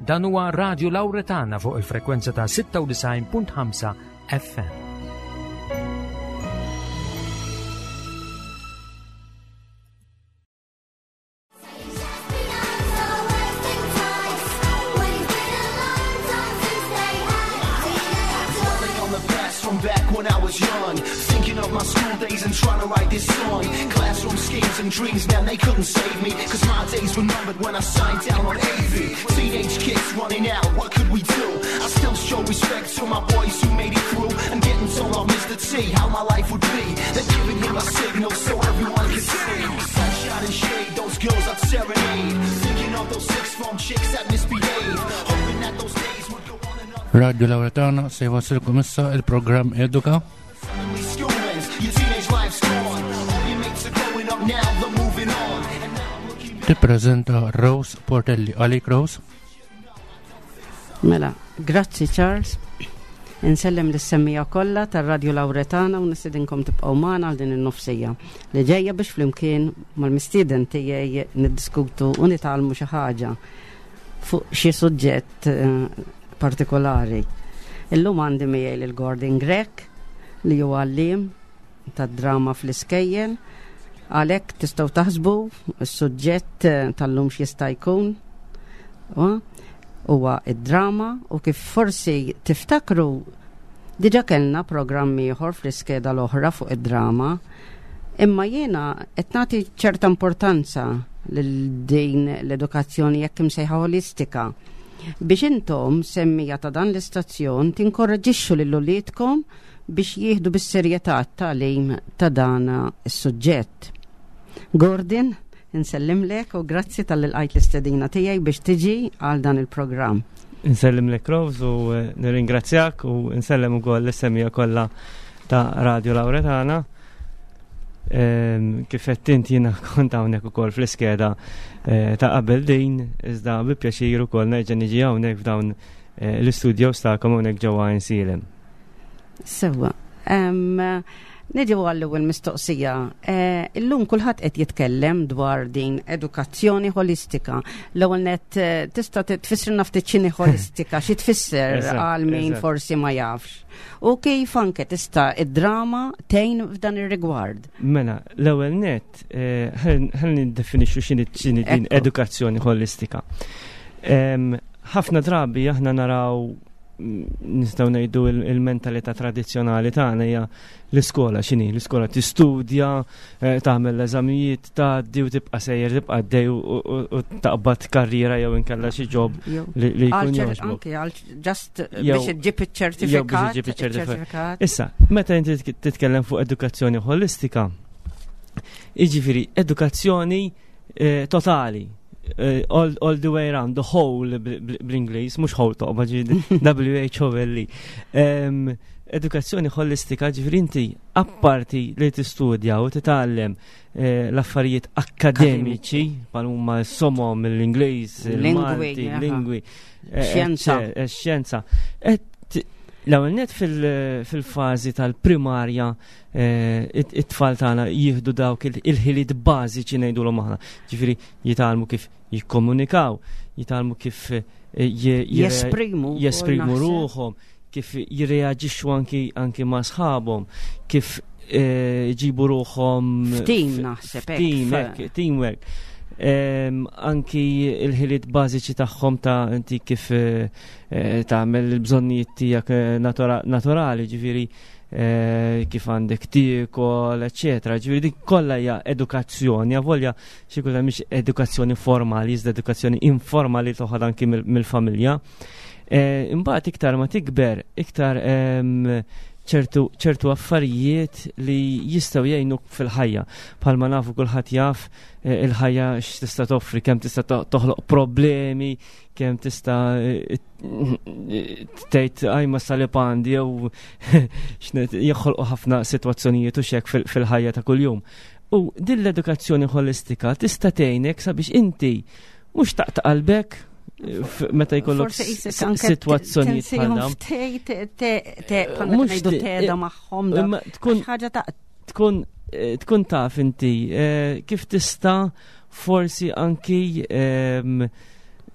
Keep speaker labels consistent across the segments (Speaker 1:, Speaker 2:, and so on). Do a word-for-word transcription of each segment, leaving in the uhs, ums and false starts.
Speaker 1: Dan huwa Radio Lauretana fuq il-frekwenza ta' sitta u disgħin punt ħamsa F M.
Speaker 2: On the past from back when I was young. Thinking of my school days and trying to write this song. Classroom schemes and dreams, man, they couldn't save me. 'Cause my days were numbered when I signed down on A V. Teenage kids running out, what could we do? I still show respect to my boys who made it through. And getting told off Mister T how my life would be. Then giving him a signal so everyone could see. Sunshine and shade, those girls I'd serenade. Thinking of those six form chicks that misbehave. Hoping that those days would go on and on.
Speaker 3: Radio Lauretana se jwassilkom issa il-programm Eduka.
Speaker 2: Suddenly school ends, your teenage life's gone. All your mates are growing up now, they're moving on. And now I'm looking
Speaker 3: Tippreżenta Rose Portelli. Għalik, Rose.
Speaker 4: Mela, grazzi, Charles. Insellem lis-semmiegħa kollha tar-Radio Lauretana u nistedinkom tibqgħu magħna għal din in-nofs siegħa li ġejja biex flimkien mal-mistieden tiegħi niddiskutu u nitgħallmu xi ħaġa fuq xi suġġett eh, partikolari. Illum għandi miegħi lil Gordon Grech, li huwa għalliem tad-drama fl-iskejjel. Għalhekk tistgħu taħsbu s-suġġett eh, tal-lum x'jista' jkun. U- Huwa id-drama, u kif forsi tiftakru diġa kellna programmi ieħor fl-iskeda l-oħra fuq id-drama, imma jiena qed nagħti ċerta importanza lil din l-edukazzjoni jekk imsejħa holistika biex intom, semmiegħa ta' dan l-istazzjon, tinkoraġixxu lil uliedkom biex jieħdu bis-serjetà t-tagħlim ta' dan is-suġġett. Gordon, insellimlek u grazzi talli lqajt l-istedina tiegħi biex tiġi għal dan il-programm.
Speaker 5: Insellem lek, Rose, u eh, nirringrazzjak u insellem ukoll lis-semmiegħa kollha ta' Radio Lauretana. Ehm, Kif qed int, jiena kont hawnhekk ukoll fl-iskeda eh, ta' qabel din, iżda bi pjaċir ukoll nerġa' niġi hawnhekk f'dawn eh, l-istudios tagħkom hawnhekk ġewwa Għajnsielem.
Speaker 4: Sewwa. Em, Niġu għall-ewwel mistoqsija. Eh, Illum kulħadd qed jitkellem dwar din edukazzjoni holistika. L-ewwel net, eh, tista' tfissrilna ftit x'inhi holistika, xi tfisser
Speaker 5: Eżatt,
Speaker 4: għal min
Speaker 5: eżatt.
Speaker 4: forsi ma jafx. U kif anke tista' id-drama tgħin f'dan ir-rigward.
Speaker 5: Mela, l-ewwel net, eh, ħalli niddefinixxu x'inhi x'inhi din
Speaker 4: Ekku.
Speaker 5: edukazzjoni holistika. Em, Ħafna drabi aħna naraw mm, nistgħu ngħidu il- il-mentalità tradizzjonali tagħna hija l-iskola x'inhi, l-iskola tistudja, eh, tagħmel l-eżamijiet, tgħaddi u tibqa' sejjer, tibqa' għaddej u- u u taqbad karriera jew inkella xi job
Speaker 4: Jew-
Speaker 5: li li
Speaker 4: Għal
Speaker 5: jkun
Speaker 4: ċer-
Speaker 5: jogħġbok.
Speaker 4: Anke għal just
Speaker 5: Jew-
Speaker 4: biex iġġib iċ-ċertifikat.
Speaker 5: Jew biex iġġib iċ-ċertifikat. Issa, meta inti titk- titkellem fuq edukazzjoni holistika, jiġifieri edukazzjoni eh, totali, eh, all, all the way around, the whole bl- bl- bl-Ingliż, mhux whole toqba ġi W H O L E. Em, Edukazzjoni holistika, ġifieri inti apparti li tistudja u titgħallem eh, l-affarijiet akademiċi, bħal huma s-somom, l-Ingliż,
Speaker 4: Lingwi,
Speaker 5: il-Malti,
Speaker 4: aha.
Speaker 5: lingwi, eh,
Speaker 4: Xjenza.
Speaker 5: eh, eh, xjenza. Et L-ewwel net fil- fil-fażi tal-primarja eh, it- it-tfal tagħna jieħdu dawk il- il-ħiliet bażiċi ngħidulhom aħna. Ġifieri jitgħallmu kif jikkomunikaw, jitgħallmu kif eh, je- je-
Speaker 4: Jesprimu.
Speaker 5: jesprimu
Speaker 4: naħseb.
Speaker 5: ruħhom, kif jirreaġixxu anki anki ma' sħabhom, kif eh, jġibu ruħhom
Speaker 4: F'team naħseb, hekk,
Speaker 5: f'team,
Speaker 4: f-
Speaker 5: hekk, teamwork. Em, anki il-ħiliet bażiċi tagħhom ta' inti kif eh, eh, tagħmel il-bżonnijiet tiegħek eh, natura- naturali, ġifieri eh, kif għandek tiekol, eċetera. Ġifieri dik kollha hija edukazzjoni, avolja xi kultant mhix edukazzjoni formali, iżda edukazzjoni informali toħod anki mill- mill-familja. Eh, Imbagħad iktar ma tikber, iktar em, ċertu ċertu affarijiet li jistgħu jgħinuk fil-ħajja. Bħalma nafu, kulħadd jaf eh, il-ħajja x'tista' toffri, kemm tista' to- toħloq problemi, kemm tista' eh, tgħid "Għaj ma salib għandi" jew x'net- joħolqu ħafna sitwazzjonijiet u xek fil- fil-ħajja ta' kuljum. U din l-edukazzjoni holistika tista' tgħinek sabiex inti mhux taqta' qalbek eh, f- meta jkollok
Speaker 4: Forsi qisek
Speaker 5: s-
Speaker 4: anke
Speaker 5: sitwazzjonijiet bħal
Speaker 4: tinsihom
Speaker 5: dawn.
Speaker 4: ftit, te- te- bħalma
Speaker 5: Mhux
Speaker 4: ngħidu
Speaker 5: ti-
Speaker 4: teda
Speaker 5: eh,
Speaker 4: magħhom da.
Speaker 5: Imma tkun
Speaker 4: Ħaġa ta'
Speaker 5: tkun eh, tkun taf inti eh, kif tista' forsi anki ehm,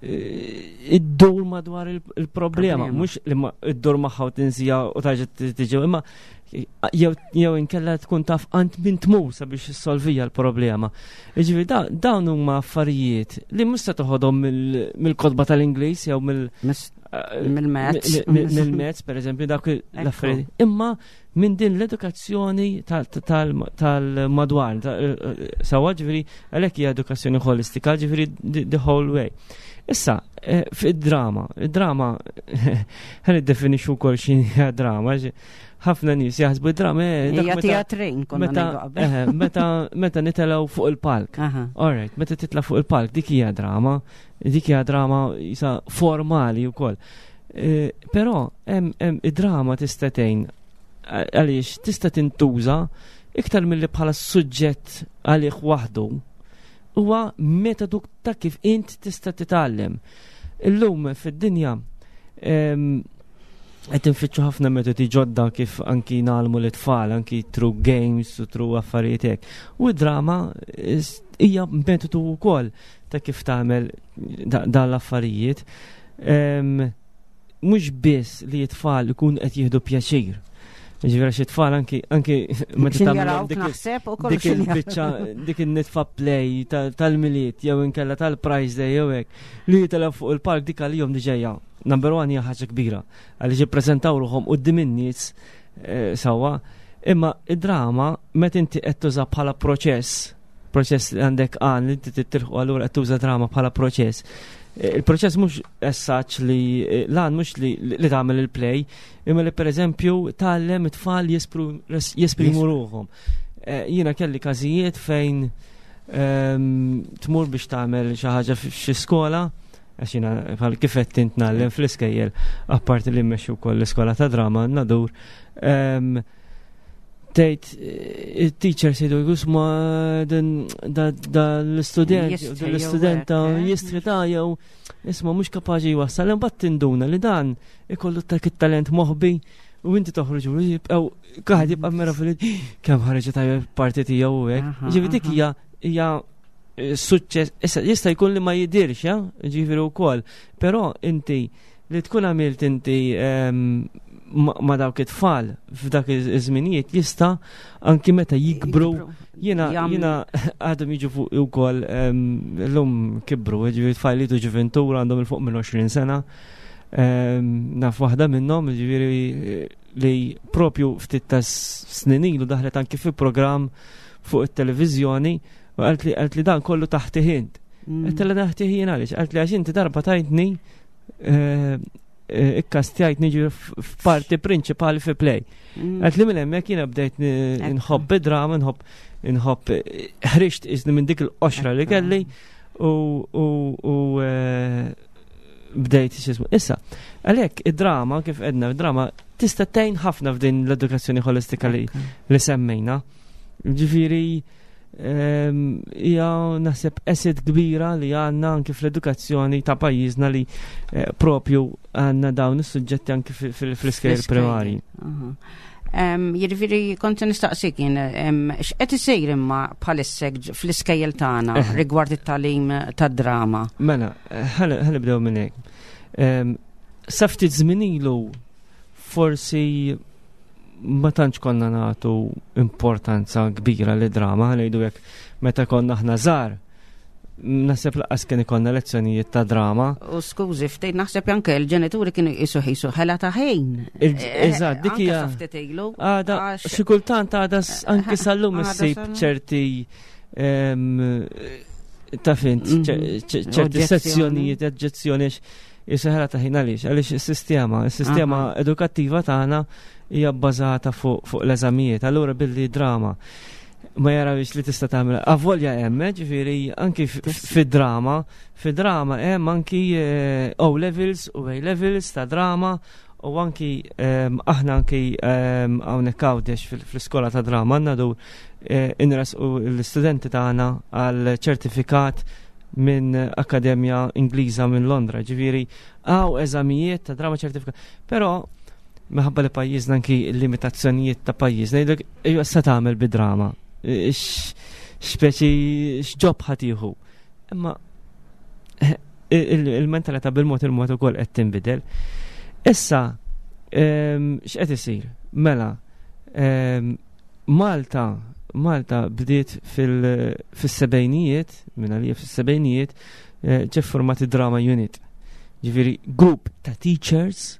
Speaker 5: eh, iddur madwar il-problema, mhux li iddur magħha u tinsija u tarġa' tiġi, imma jew inkella tkun taf għand min tmur sabiex issolvija l-problema. Jiġifieri dawn huma affarijiet li mhux se toħodhom mill-kotba tal-Ingliż jew mill
Speaker 4: mill-maths.
Speaker 5: Mill-maths, per eżempju, dak l-affarijiet. Imma minn din l-edukazzjoni tal-madwar, sewwa, ġifieri, għalhekk hija edukazzjoni ħolistika, ġifieri the whole way. Issa, eh, fid-drama, id-drama, ħa niddefinixxu wkoll x'inhi drama, ħafna nies jaħsbu drama
Speaker 4: eh, hija teatrin.
Speaker 5: Meta eh, meta meta nitelgħu fuq il-palk. All right, meta titla' fuq il-palk dik hija drama, dik hija drama jisa formali wkoll. Però hemm id-drama tista' tgħin għaliex tista' tintuża iktar milli bħala suġġett għalih waħdu, huwa metodu ta' kif int tista' titgħallem. Illum fid-dinja qed infittxu ħafna metodi ġodda kif anki ngħallmu l-tfal, anki through games u through affarijiet hekk. U d-drama hija metodu wkoll ta' kif tagħmel dan l-affarijiet. Mhux biss li t-tfal ikun qed jieħdu pjaċir. Ġifieri xi tfal anki anki
Speaker 4: meta tagħmel
Speaker 5: dik il-biċċa, dik in-nitfa play tal-Milied jew inkella tal-Prize Day jew hekk, li jitilgħu fuq il-palk, dik għalihom diġà number one hija ħaġa kbira għaliex jippreżentaw ruħhom quddiem in-nies eh, sewwa. Imma id-drama meta inti qed tuża bħala proċess, proċess li għandek għan li inti tilħqu, allura qed tuża drama bħala proċess. Eh, Il-proċess mhux essaċ li eh, lan mhux li li tagħmel il-play, imma li pereżempju tgħallem it-tfal jesprimu ruħhom. Eh, jiena kelli każijiet fejn ehm, tmur biex tagħmel xi ħaġa f'xi skola, għax jiena bħal kif qed int ngħallem fl-iskejjel, apparti li mmexxi wkoll l-iskola ta' drama nadur. Ehm, tgħid il-teacher sejdu jgħu din da l-istudent, l-istudenta jistħi ta' jew isma' mhux kapaċi jwassal, imbagħad tinduna li dan ikollu dak it-talent moħbi u inti toħroġ u jibqgħu kaħad jibqa' mera fil kemm ħareġ tajjeb parti tiegħu u hekk. Ġifieri dik hija hija eh, suċċess, issa jista' jkun li ma jidirx, eh, ġifieri wkoll, però inti li tkun għamilt inti ehm, ma dawk it-tfal f'dak iż-żminijiet jista' anki meta jikbru, jiena jiena għadhom jiġu fuq ukoll, llum kibru, ġifieri tfal li ġuventura għandhom il fuq minn għoxrin sena. Naf waħda minnhom, ġifieri, li propju ftit ta' snin ilu daħlet anki fi programm fuq it-televiżjoni u qalt li qalt li dan kollu taħti int. Mm. Għedtilha taħti jien għaliex? Qalt li għax inti darba tajtni eh, eh, ikkastjajt niġi f'parti prinċipali fi play. Mm. Għedt li minn hemmhekk jiena bdejt nħobb id-drama, nħobb nħobb ħriġt iżni minn dik il-qoxra li kelli u u eh, bdejt xismu. Issa, għalhekk id-drama, kif għedna, id-drama tista' tgħin ħafna f'din l-edukazzjoni ħolistika li, li semmejna. Ġifieri ehm, hija naħseb asset kbira li għandna anki fl-edukazzjoni ta' pajjiżna li eh, propju għandna dawn is-suġġetti anki fl-iskejjel primarji.
Speaker 4: Jiġifieri kont nistaqsik jien, x'qed isir imma bħalissa fl-iskejjel tagħna eh. rigward it-tagħlim tad-drama?
Speaker 5: Mela, ħa nibdew minn hekk. Sa ftit żmien ilu forsi ma tantx konna nagħtu importanza kbira li drama, ngħidu hekk, meta konna aħna żgħar. Naħseb lanqas kien ikollna lezzjonijiet ta' drama.
Speaker 4: U skużi, ftejt naħseb anke l-ġenituri kienu jisu ħisu ħela ta' ħin.
Speaker 5: Eżatt, dik hija. Għada, xi kultant għada anke sal-lum issib ċerti ta' fint, mhm. ċerti sezzjonijiet, oġġezzjoni jiseħra ta' ħin. Għaliex, għaliex is-sistema, is-sistema edukattiva tagħna hija bbażata fuq l-eżamijiet, allura billi drama ma jarawx li tista' tagħmel. Avolja hemm, eh, ġifieri anki fid-drama, fid-drama hemm anki eh, O levels u A levels ta' drama u anki ehm, aħna anki ehm, hawnhekk Għawdex fl-iskola ta' drama għandna dur eh, inresqu l-istudenti tagħna għal ċertifikat minn Akademja Ingliża minn Londra, ġifieri hawn eżamijiet ta' drama ċertifikat. Però minħabba li pajjiżna, anki l-limitazzjonijiet ta' pajjiżna, jgħidlek ejja sa tagħmel bid-drama. Speċi x'job ħa tieħu. Imma Il-mentalità bil-mod il-mod ukoll qed tinbidel. Issa, x'qed isir? Mela, Malta Malta bdiet fis-sebgħinijiet, minn għalija fis-sebgħinijiet, eh, ġie formati drama unit. Ġifieri grupp ta' teachers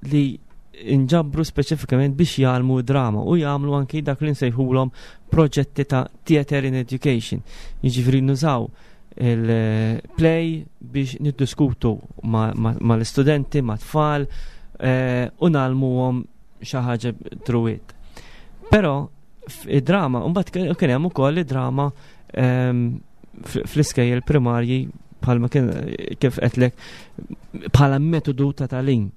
Speaker 5: li inġabru speċifikament biex jgħallmu drama u jagħmlu anki dak li nsejħulhom proġetti ta' theater in education. Jiġifieri nużaw il-play biex niddiskutu mal-istudenti, ma' tfal eh, u ngħallmuhom xi ħaġa through it. Però id-drama, mbagħad kien hemm ukoll id-drama ehm, fl-iskejjel primarji, bħalma kien kif qedlek, bħala metodu ta' tagħlim.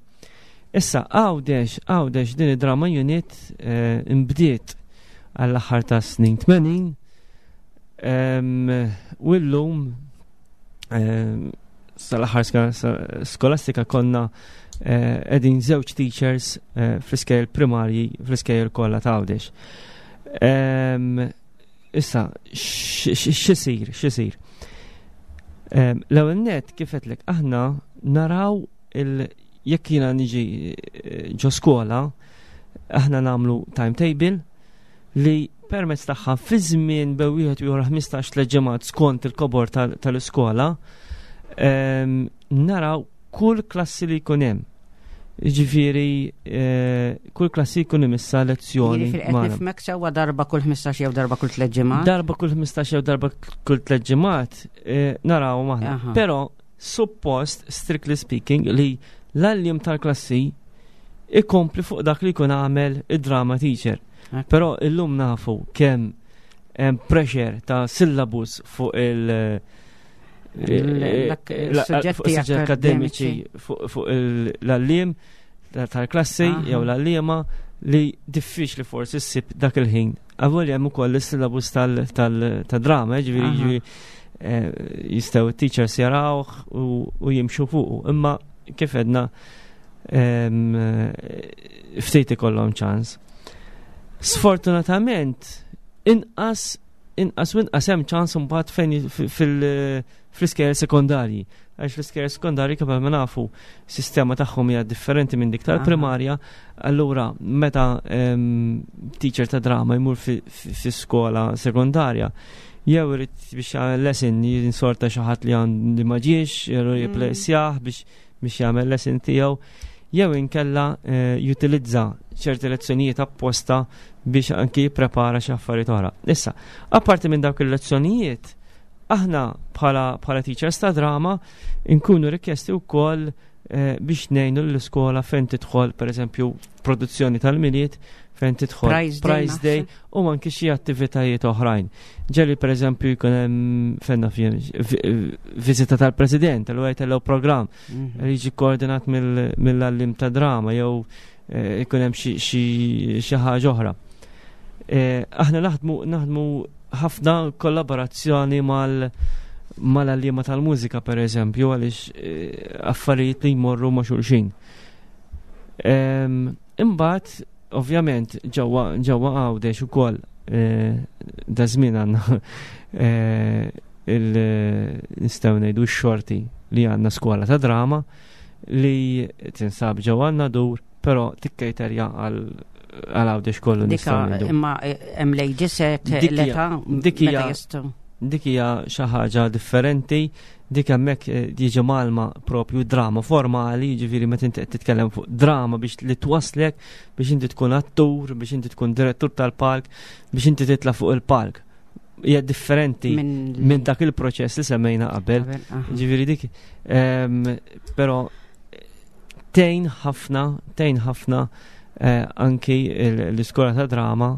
Speaker 5: Issa Għawdex, Għawdex din id-drama unit eh, imbdiet għall-aħħar ta' snin tmenin ehm, u llum ehm, sal-aħħar skolastika konna eh, qegħdin żewġ teachers eh, fl-iskejjel primarji, fl-iskejjel kollha ta' Għawdex. Issa, x'isir, x'isir? L-ewwel net, kif għedtlek, aħna naraw il jekk jiena niġi eh, ġo skola, aħna nagħmlu timetable li permezz tagħha fi żmien bejn wieħed u ieħor ħmistax tliet ġimgħat skont il-kobor tal-iskola naraw kull klassi li jkun hemm. Ġifieri, eh, kull klassi jkun imissa lezzjoni.
Speaker 4: Jiġifieri qed nifhmek sewwa, darba kull ħmistax jew darba kull tliet ġimgħat?
Speaker 5: Darba kull ħmistax jew darba kull tliet ġimgħat eh, naraw maħna. Però suppost, strictly speaking, li l-għalliem tal-klassi ikompli fuq dak li jkun għamel id-drama teacher. Però illum nafu kemm hemm pressure ta' syllabus fuq il-
Speaker 4: suġġetti
Speaker 5: akademiċi fuq l-għalliem tal-klassi jew l-għalliema li diffiċli forsi ssib dak il-ħin. Avolja hemm ukoll is-syllabus tal-drama, ġifieri eh, jistgħu teachers jarawh u jimxu fuqu. Imma kif għedna, ftit ikollhom ċans. Sfortunatament, inqas inqas u inqas hemm ċans imbagħad fejn fil- fl-iskejjel sekondarji. Għax l-iskejjel sekondarji, kif ma nafu, sistema tagħhom hija differenti minn dik tal-primarja, allura meta teacher ta' drama jmur fi skola sekondarja, jew irid biex jagħmel lesson jinsorta xi ħadd li għandi ma ġiex, jew mm. jipplejsjah biex biex jagħmel lesson tiegħu, jew inkella eh, jutilizza ċerti lezzjonijiet apposta biex anki jipprepara xi affarijiet oħra. Issa, apparti minn dawk il-lezzjonijiet, aħna bħala bħala teachers ta' drama nkunu rikjesti wkoll eh, biex ngħinu l-iskola fejn tidħol, pereżempju, produzzjoni tal-Milied, fejn tidħol
Speaker 4: Prize Day,
Speaker 5: Prize Day
Speaker 4: naħseb.
Speaker 5: u anki xi attivitajiet oħrajn. Ġieli, pereżempju, jkun hemm fenna viżita tal-President, allura jtellgħu programm
Speaker 4: Mhm.
Speaker 5: li jiġi koordinat mill-għalliem ta' drama jew eh, ikun hemm xi xi ħaġa oħra. Eh, Aħna naħdmu naħdmu ħafna kollaborazzjoni mal mal-għalliema tal-mużika, per eżempju, għaliex eh, affarijiet li jmorru ma' xulxin. Em, Imbagħad, ovvjament, ġewwa ġewwa Għawdex ukoll eh, da żmien għandna eh, il nistgħu ngħidu x-xorti li għandna skola ta' drama li tinsab ġewwa Nadur, però tikkejterja għal għal Għawdex kollu,
Speaker 4: Dika
Speaker 5: nistgħu ngħidu.
Speaker 4: Imma eh, hemm lejġisek
Speaker 5: Dik hija-
Speaker 4: l-età
Speaker 5: dik hija-
Speaker 4: meta jistgħu.
Speaker 5: Dik hija xi ħaġa differenti, dik hemmhekk eh, jiġi mgħallma propju drama formali, jiġifieri meta inti qed titkellem fuq drama biex li twaslek biex inti tkun attur, biex inti tkun direttur tal-palk, biex inti titla' fuq il-palk. Hija differenti
Speaker 4: Minn
Speaker 5: minn dak il-proċess li semmejna qabel.
Speaker 4: Qabel, aha.
Speaker 5: Ġifieri dik, ehm, però tgħin ħafna, tgħin ħafna eh, anki l- l-iskola ta' drama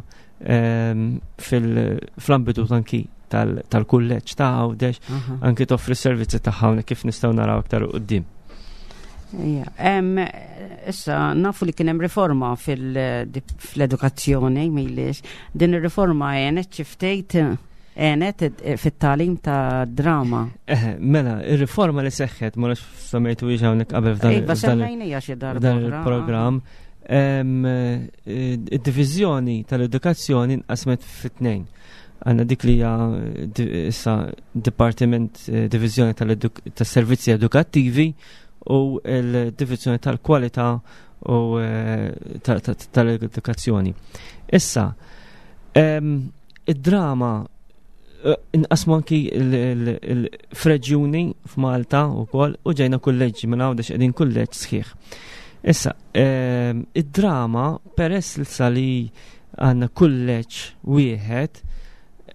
Speaker 5: ehm, fil-ambitu anki tal- tal-kulleġġ ta' Għawdex,
Speaker 4: aha.
Speaker 5: anki toffri s-servizzi tagħha hawnhekk, kif nistgħu naraw aktar quddiem.
Speaker 4: Ija, em, Issa, nafu li kien hemm riforma fil- fl-edukazzjoni, milix. Din ir-riforma għenet xi ftit, għenet fit-tagħlim ta' drama?
Speaker 5: Eh, mela, ir-riforma li seħħet, ma nafx semmejtu hawnhekk qabel f'dan
Speaker 4: Iva,
Speaker 5: f'dan
Speaker 4: semmejnija xi darba
Speaker 5: f'dan
Speaker 4: oħra.
Speaker 5: il-programm. Em, eh, Id-diviżjoni tal-edukazzjoni nqasmet fit-tnejn. Għandna dik li hija issa Dipartiment, eh, Divizjoni tas-Servizzi Edukattivi u l-Divizjoni tal-Kwalità u eh, tal-Edukazzjoni. Issa, id-drama eh, inqasmu anki l-f'reġjuni f'Malta wkoll u ġejna kulleġġi minn Għawdex, qegħdin kulleġġ sħiħ. Issa, id-drama, peress li li għandna kulleġġ wieħed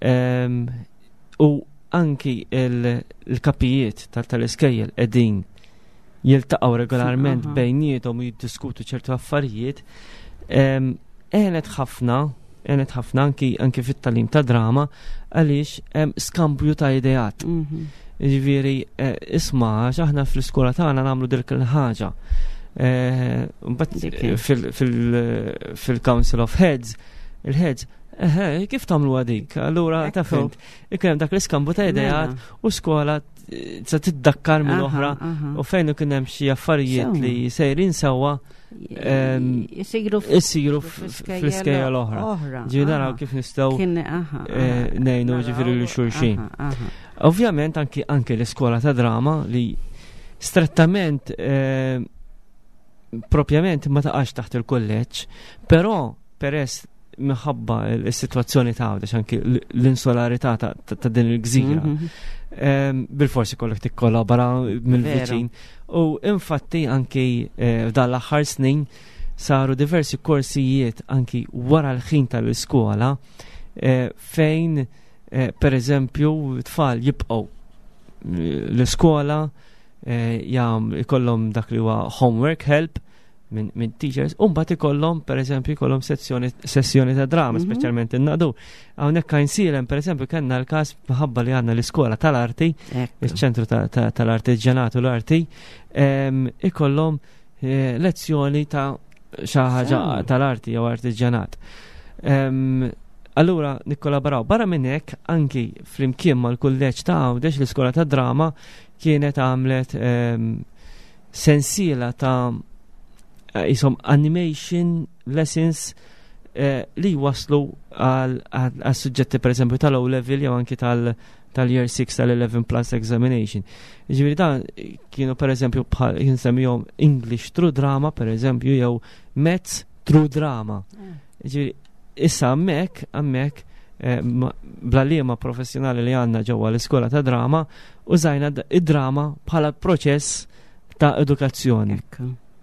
Speaker 5: u anki il-kapijiet tal-iskejjel qegħdin jiltaqgħu regolarment bejniethom u jiddiskutu ċertu affarijiet, għenet ħafna, għenet ħafna anki anki fit-tagħlim ta' drama għaliex hemm skambju ta' ideat. Mhm. Ġifieri, eh, isma', aħna fl-iskola tagħna nagħmlu dik il-ħaġa. Eh, fil-Council of Heads, il-Heads, eħe, kif tagħmlu għadik? Allura, ta' fint, ikun dak l-iskambu ta' ideat mela. u skola se tiddakkar minn oħra u fejn ikun hemm xi affarijiet li sejrin sewwa isiru fl-iskejja l-oħra. Ġifieri naraw kif nistgħu eh, ngħinu ġifieri lil xulxin. Ovvjament anki anke l-iskola ta' drama li strettament, eh, propjament ma taqax taħt il-kulleġġ, però peress minħabba l-situazzjoni ta' Għawdex, anki l-insularità ta' din il-gżira, mhm. bil-forsi kollok tikkollabora mill-viċin. U infatti anki eh, f'dan l-aħħar snin saru diversi korsijiet anki wara l-ħin tal-iskola eh, fejn eh, per eżempju tfal jibqgħu l-iskola jam ikollhom dak li huwa homework help minn min teachers, u mbagħad ikollhom pereżempju ikollhom sessjoni sessjoni ta' drama, mm -hmm. speċjalment in-Nadur. Hawnhekk Għajnsielem pereżempju kellna l-każ minħabba li għandna l-iskola tal-arti, il-ċentru tal-artiġjanat u l-arti, ikollhom eh, lezzjoni ta' xi ħaġa tal-arti jew artiġjanat. Allura nikkollaboraw. Barra minn hekk anki flimkien mal-kulleġġ ta' Għawdex, l-iskola ta' drama kienet għamlet sensiela ta' Eh, jisom animation lessons eh, li waslu għal suġġetti per eżempju tal-O level jew anki tal-year six, tal-eleven plus examination. Ġifieri dan kienu per eżempju bħal insemmihom English through drama per eżempju jew Maths through drama. Mm. Ġifieri issa hemmhekk hemmhekk eh, bl-għalliema professjonali li għandna ġewwa l-iskola ta' drama użajna id-drama bħala proċess ta' edukazzjoni.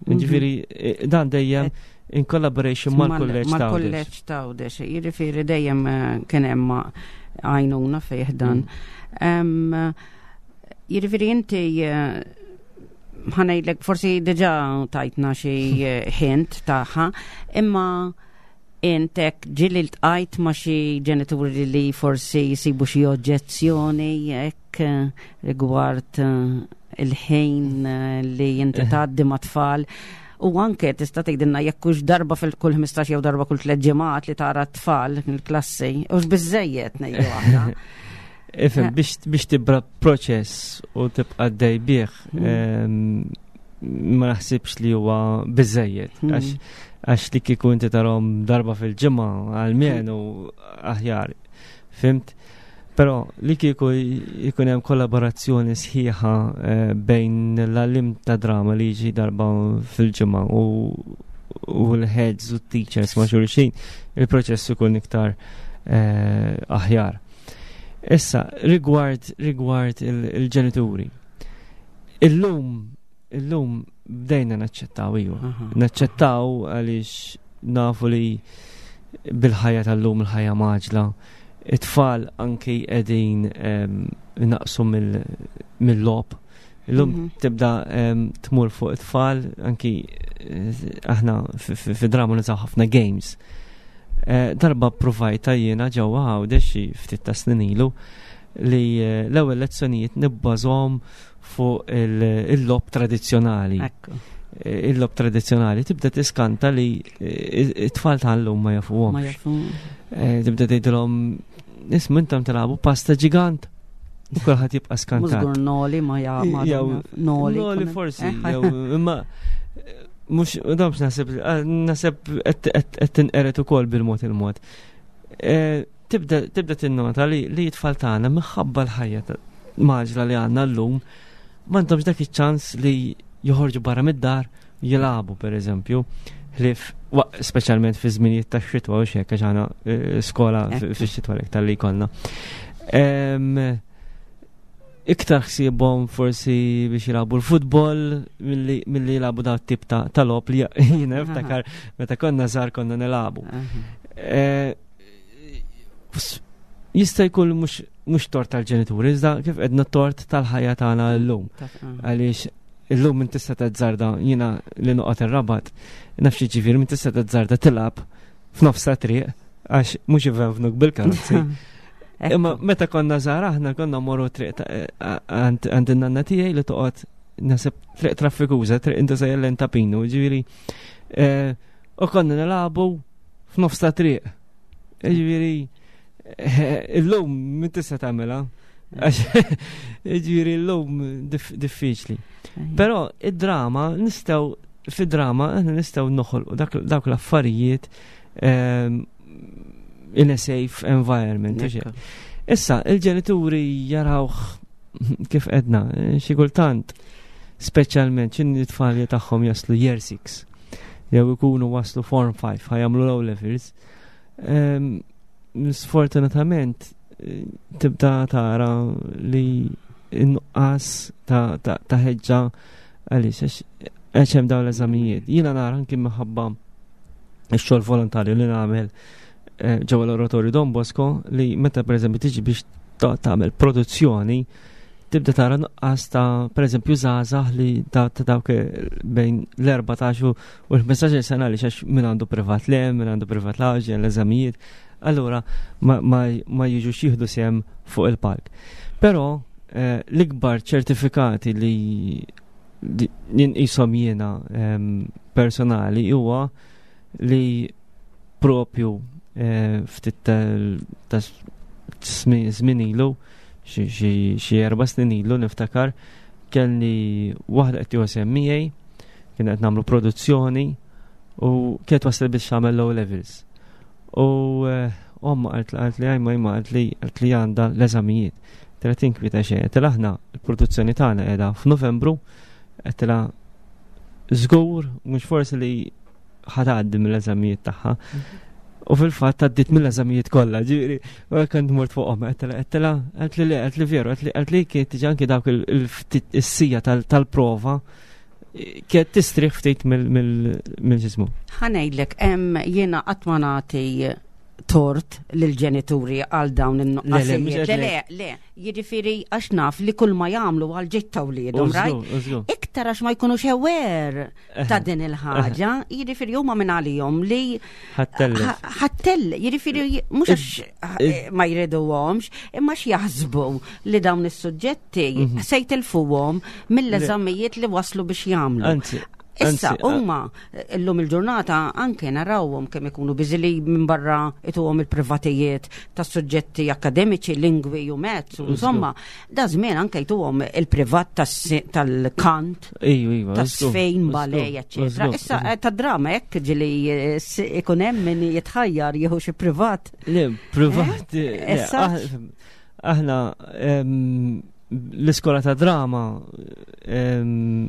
Speaker 5: Ġifieri eh, dan dejjem in collaboration mal-kulleġġ ta'
Speaker 4: Mal-kulleġġ ta' Għawdex, jiġifieri dejjem eh, kien hemm għajnuna fih dan. Mm. Jiġifieri inti eh, ħa ngħidlek, forsi diġà tajtna xi hint tagħha, imma intek ġieli ltqajt ma' xi ġenituri li forsi jisibu xi oġġezzjoni hekk rigward il-ħin eh, li inti tgħaddi ma' tfal? U anke tista' tgħidilna jekk hux darba fil-kull ħmistax jew darba kull tliet ġimgħat li tara t-tfal il-klassi, hux biżejjed ngħidu aħna.
Speaker 5: Ifhem, eh. biex biex tibda proċess u tibqa' dej bih, mm. ma naħsibx li huwa biżejjed. Mm. Għax li kieku inti tarahom darba fil-ġimgħa għalmenu aħjar. Fhimt? Però li kieku jkun hemm kollaborazzjoni sħiħa eh, bejn l-għalliem ta' drama li jiġi darba fil-ġimgħa u u l-heads u teachers ma' xulxin, il-proċess ikun iktar eh, aħjar. Issa, rigward rigward il-ġenituri. Illum, illum bdejna naċċettaw, iva. Naċċettaw għaliex nafu li bil-ħajja tal-lum, il-ħajja mgħaġġla, it-tfal anki qegħdin naqsu mill-logħob. Illum mhm. tibda tmur fuq it-tfal, anki eh, aħna fi drama nużaw ħafna games. Eh, darba provajta jiena ġewwa Għawdex xi ftit ta' snin ilu li eh, l-ewwel lezzjonijiet nibbażhom fuq il-logħob tradizzjonali. Il-logħob tradizzjonali tibda tiskanta li it-tfal tal-lum ma jafuhomx. Tibda tgħidilhom, "Isma', intom tilagħbu pasta ġigant?" U kulħadd jibqa' skantat.
Speaker 4: Żgur noli ma ja
Speaker 5: noli. Noli forsi, imma mhux domx naħseb naħseb qed tinqered ukoll bil-mod il-mod. Tibda tibda tinnota li li t-tfal tagħna minħabba l-ħajja ta- mgħaġġla li għandna llum m'għandhomx dak iċ-ċans li joħorġu barra mid-dar jilagħbu, pereżempju, ħlief speċjalment fi żminijiet ta' xitwa u xek, għax għandna eh, skola
Speaker 4: Ekku.
Speaker 5: fi xitwa l li jkollna. Em, Iktar ħsiebhom forsi biex jilagħbu l-futbol milli milli jilagħbu daw tip ta' ta' logħob li jiena niftakar meta konna żgħar konna nilagħbu.
Speaker 4: Aha.
Speaker 5: Eh, s- Jista' jkun mhux mhux tort tal-ġenituri, iżda kif qedna tort tal-ħajja tagħna llum.
Speaker 4: Ta- ah.
Speaker 5: Għaliex illum minn tista' tażżarda, jiena li noqgħod ir-Rabat, naf xi ġifieri minn tista' tażżarda tilgħab f'nofs ta' triq għax mhux ivenvnuk bil-karozzi.
Speaker 4: Ekku.
Speaker 5: Imma meta konna żgħar aħna konna morru triq ta' għand għand in-nanna tiegħi li toqgħod naħseb triq traffikuża, Triq Inta Sejjel ta' Pinu, ġifieri eh, u konna nilagħbu f'nofs ta' triq. Ġifieri eh, illum min tista' tagħmilha. Għax ġifieri illum dif- diffiċli. Però id-drama nistgħu, fid-drama aħna nistgħu noħolqu dak dawk l-affarijiet ehm, in a safe environment, u xejn.
Speaker 4: Ekku.
Speaker 5: Issa, il-ġenituri jarawh kif edna, xi kultant, speċjalment x'ħin it-tfal tagħhom jaslu year six, jew ikunu waslu form five, ħa jagħmlu low levels. Ehm, Sfortunatament, eh, tibda tara li n-nuqqas ta' ta' ta' ħeġġa għaliex għax għax hemm dawn l-eżamijiet. Jiena nara anki minħabba x-xogħol volontarju li nagħmel eh, ġewwa l-Oratorju Don Bosco li meta pereżempju tiġi biex ta- tagħmel produzzjoni tibda tara nuqqas ta' pereżempju żgħażagħ li ta' ta' dawk eh, bejn l-erbatax u l-ħmistax-il sena li għax min għandu privat le, min għandu privat laġi, l-eżamijiet, allura ma, ma, ma jiġux jieħdu sehem fuq il-palk. Però eh, l-ikbar ċertifikati li li ninqishom jiena em, personali huwa li propju eh, ftit ta' żmien ilu, xi- xi xi erba' snin ilu niftakar, kelli waħda qed tieħu sehem miegħi, kien qed nagħmlu produzzjoni u kienet wasal biex tagħmel low levels. U eh, omma qalt qalt li għajma jma qalt li qalt li għandha l-eżamijiet. Tela tinkwita xejn, tela aħna l-produzzjoni tagħna qiegħda f'Novembru, għedtilha żgur mhux forsi li ħa tgħaddi mill-eżamijiet tagħha. U fil-fatt għaddit mill-eżamijiet kollha, ġifieri, u kont mort fuqhom, għedtilha għedtilha qalt li le, qalt li veru, qalt li qalt li kienet tiġi anki dawk il-ftit is-sija tal-prova kienet tistrieħ ftit mill-ġismu.
Speaker 4: Ħa ngħidlek, hemm jiena qatt ma nagħti tort lill-ġenituri għal dawn
Speaker 5: Le, le,
Speaker 4: in-nuqqasijiet.
Speaker 5: mhux
Speaker 4: Le,
Speaker 5: qed
Speaker 4: le, le, jiġifieri għax naf li kull ma jagħmlu għal ġid ta' wliedhom, right? Iktar għax ma jkunux aware ta' din il-ħaġa, jiġifieri huma minn għalihom li
Speaker 5: Ħa ttellef.
Speaker 4: Ħa ttellef, jiġifieri mhux għax eh, ma jriduhomx, imma x'jaħsbu li dawn is-suġġetti
Speaker 5: Mhm.
Speaker 4: se jtilfuhom mill-eżamijiet li waslu biex jagħmlu.
Speaker 5: Anzi,
Speaker 4: Issa,
Speaker 5: anzi,
Speaker 4: huma illum il-ġurnata anke narawhom kemm ikunu busy li minn barra ituhom il-privatijiet ta' suġġetti akademiċi, lingwi u mezz, u insomma, da żmien anke jtuhom il-privat tas- tal-kant,
Speaker 5: Iju, iva.
Speaker 4: ta' sfejn, ballet, eccetera. Issa, eh, ta' drama hekk ġili eh, s- ikun hemm min jitħajjar jieħu xi privat.
Speaker 5: Le, privat. le,
Speaker 4: Issa?
Speaker 5: ah- Aħna em, l-iskola ta' drama em,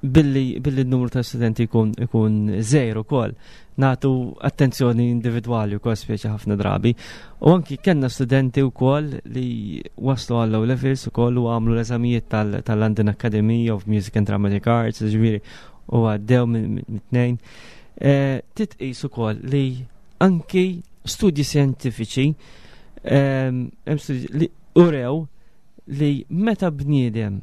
Speaker 5: billi billi n-numru ta' studenti ikun ikun żgħir ukoll nagħtu attenzjoni individwali wkoll speċi ħafna drabi. U anki kellna studenti wkoll li waslu għal low levels ukoll u għamlu l-eżamijiet tal- tal-London Academy of Music and Dramatic Arts, ġifieri, u għaddew minn minn tnejn. Eh, Titqis ukoll li anki studji scientifiċi em, hemm studji li urew li meta bniedem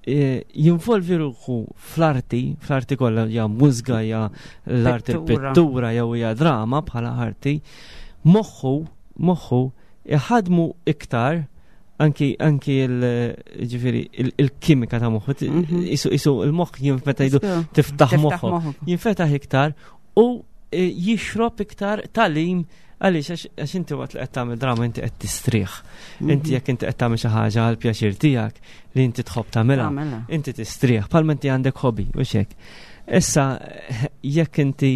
Speaker 5: eh, jinvolvi ruħu fl-arti, fl-arti kollha, ja mużika, ja l-arti
Speaker 4: Pittura.
Speaker 5: pittura jew hija drama bħala arti, moħħu moħħu iħadmu iktar anki anki il ġifieri il- il-kimika ta' moħħu
Speaker 4: Mhm.
Speaker 5: isu isu il-moħħ jinfeta jgħidu tiftaħ moħħu
Speaker 4: moħħok.
Speaker 5: jinfetaħ iktar u eh, jixrob iktar tagħlim. Għaliex għax għax inti waqt li qed tagħmel drama inti qed tistrieħ. Inti jekk inti qed tagħmel xi ħaġa għal pjaċir tiegħek li inti tħobb tagħmilha,
Speaker 4: Tagħmilha.
Speaker 5: inti tistrieħ bħalma inti għandek hobby u xek. Issa, jekk inti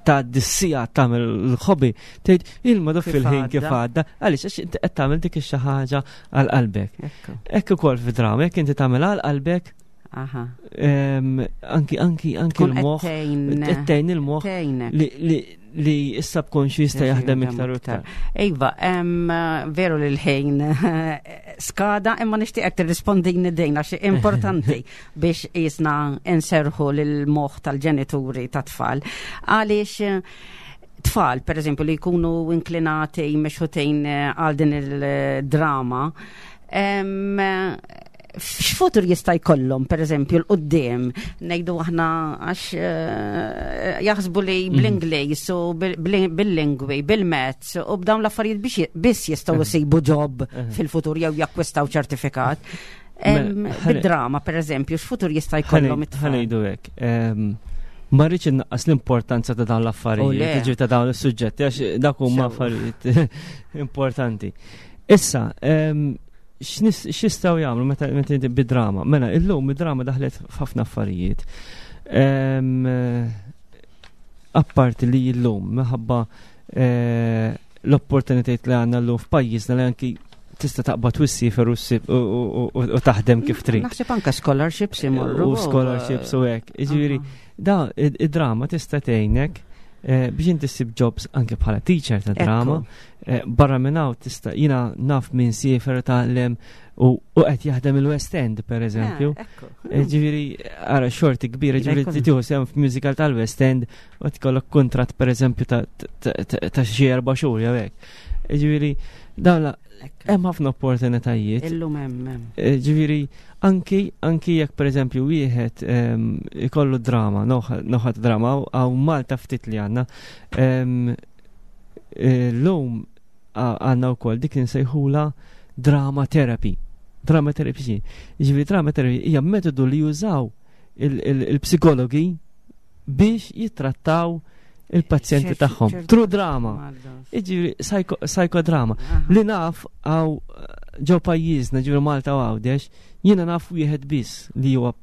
Speaker 5: ta' dis-siegħa tagħmel l-hobby, tgħid ilma dof fil-ħin kif għadda, għaliex għax inti qed tagħmel dik xi ħaġa għal qalbek. Hekk ukoll fi-drama, jekk inti tagħmel għal qalbek, anki anki anki l-moħħ tgħin il-moħħ li li issa b'konxju jista' jaħdem iktar u iktar.
Speaker 4: Iva, veru li l-ħin skada, imma nixtieqek tirrispondini din għax importanti biex jisna inserħu lil-moħħ tal-ġenituri tat-tfal. Għaliex tfal, per eżempju, li jkunu inklinati mexħutin għal din il-drama, x'futur jista' jkollhom, per eżempju, 'l quddiem, ngħidu aħna għax eh, jaħsbu li mhm. bl-Ingliż u bil-lingwi, bil-maths u b'dawn l-affarijiet biex biss jistgħu jsibu job fil-futur jew jakkwistaw ċertifikat.
Speaker 5: Mela,
Speaker 4: Bid-drama, per eżempju, x'futur jista' jkollhom it-tfal?
Speaker 5: Ħa ngħidu hekk. Ma rridx innaqqas l-importanza ta' dawn l-affarijiet, ġi ta' dawn is-suġġetti, għax dak huma affarijiet importanti. Issa, x'jistgħu jagħmlu meta meta inti bid-drama? Mela, illum id-drama daħlet f'ħafna affarijiet. Apparti li illum minħabba eh, l-opportunitajiet li għandna llum f'pajjiżna li anki tista' taqbad u ssiefer u taħdem kif trid.
Speaker 4: Naħseb anke scholarships imorru.
Speaker 5: U scholarships u hekk. Jiġifieri, da id-drama tista' tgħinek eh, biex inti ssib jobs anke bħala teacher ta' drama. Eh, barra minn hawn tista' jiena naf min siefer tgħallem u qed jaħdem il-West End per eżempju. Eh, ġifieri ara xorti kbira, ġifieri tieħu sehem f'musical tal-West End u tkollok kuntratt per eżempju ta' xi erba' xhur jew hekk. Ġifieri dawn hemm ħafna opportunitajiet.
Speaker 4: Illum hemm.
Speaker 5: Eh, ġifieri anki anki jekk pereżempju wieħed ehm, ikollu drama, noħat drama għaw Malta ftit li għandna. Ehm, eh, llum għandna wkoll dik nsejħula drama therapy. Drama therapy. Ġifieri drama therapy hija metodu li jużaw il-psikologi biex jittrattaw il-pazjenti tagħhom. Through drama. Iġifieri psychodrama. Li naf għaw ġo pajjiżna, ġifieri Malta u Għawdex, jiena naf wieħed biss li huwa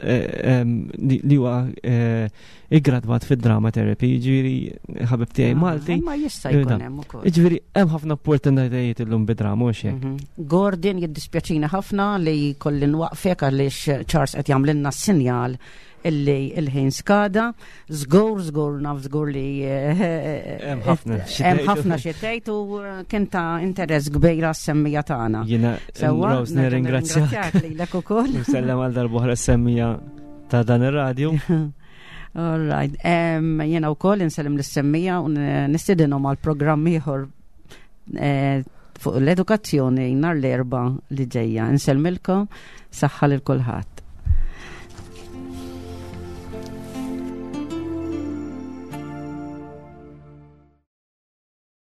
Speaker 5: eh, li huwa eh, iggradwat fid-drama therapy, ġifieri ħabib tiegħi ah, Malti.
Speaker 4: Ma jista' jkun hemm ukoll.
Speaker 5: Ġifieri hemm ħafna opportunitajiet illum bid-drama u hekk.
Speaker 4: Mhm. Gordon, jiddispjaċina ħafna li kolli nwaqfek għaliex Charles qed jagħmlilna sinjal illi il-ħin skada. Żgur, żgur, naf żgur li eh,
Speaker 5: hemm ħafna
Speaker 4: hemm ħafna xi tgħid u eh, kien ta' interess kbira s-semmiegħa tagħna.
Speaker 5: Jiena Rose nirringrazzjak
Speaker 4: lilek ukoll.
Speaker 5: Nsellem għal darb'oħra s-semmiegħa ta' dan ir-radju.
Speaker 4: All right. Jiena wkoll insellem lis-semmiegħa u nistedinhom għal programm ieħor eh, fuq l-edukazzjoni nhar l-Erbgħa li ġejja. Insellmilkom, saħħa lil kulħadd.